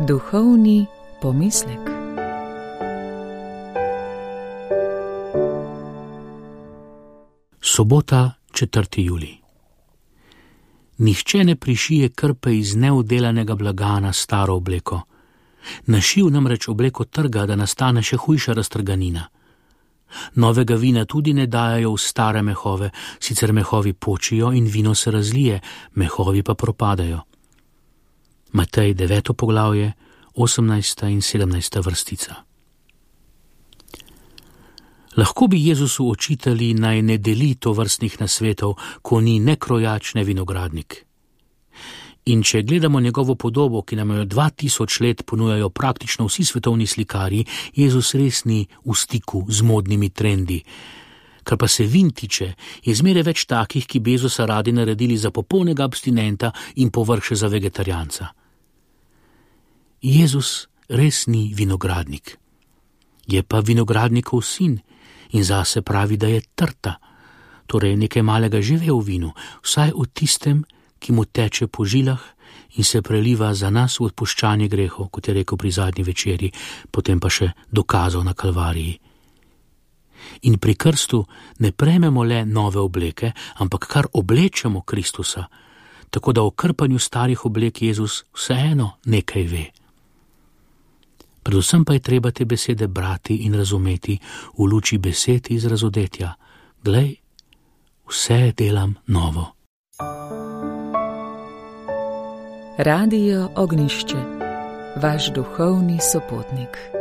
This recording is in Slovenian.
Duhovni pomislek. Sobota, 4. julij. Nihče ne prišije krpe iz neudelanega blaga na staro obleko. Na šiv namreč obleko trga, da nastane še hujša raztrganina. Novega vina tudi ne dajajo v stare mehove, sicer mehovi počijo in vino se razlije, mehovi pa propadajo. Matej 9. poglavje, 18. in 17. vrstica. Lahko bi Jezusu očitali, naj ne deli tovrstnih nasvetov, ko ni ne krojač, ne vinogradnik. In če gledamo njegovo podobo, ki nam jo 2000 let ponujajo praktično vsi svetovni slikarji, Jezus res ni v stiku z modnimi trendi. Kar pa se vin tiče, je zmeraj več takih, ki bi Jezusa radi naredili za popolnega abstinenta in povrh še za vegetarijanca. Jezus res ni vinogradnik. Je pa vinogradnikov sin in zase pravi, da je trta, torej nekaj malega že ve v vinu, vsaj v tistem, ki mu teče po žilah in se preliva za nas v odpuščanje grehov, kot je rekel pri zadnji večerji, potem pa še dokazal na Kalvariji. In pri krstu ne prejmemo le nove obleke, ampak kar oblečemo Kristusa, tako da o krpanju starih oblek Jezus vseeno nekaj ve. Predvsem pa je treba te besede brati in razumeti v luči besed iz razodetja. Glej, vse delam novo. Radio Ognjišče, vaš duhovni sopotnik.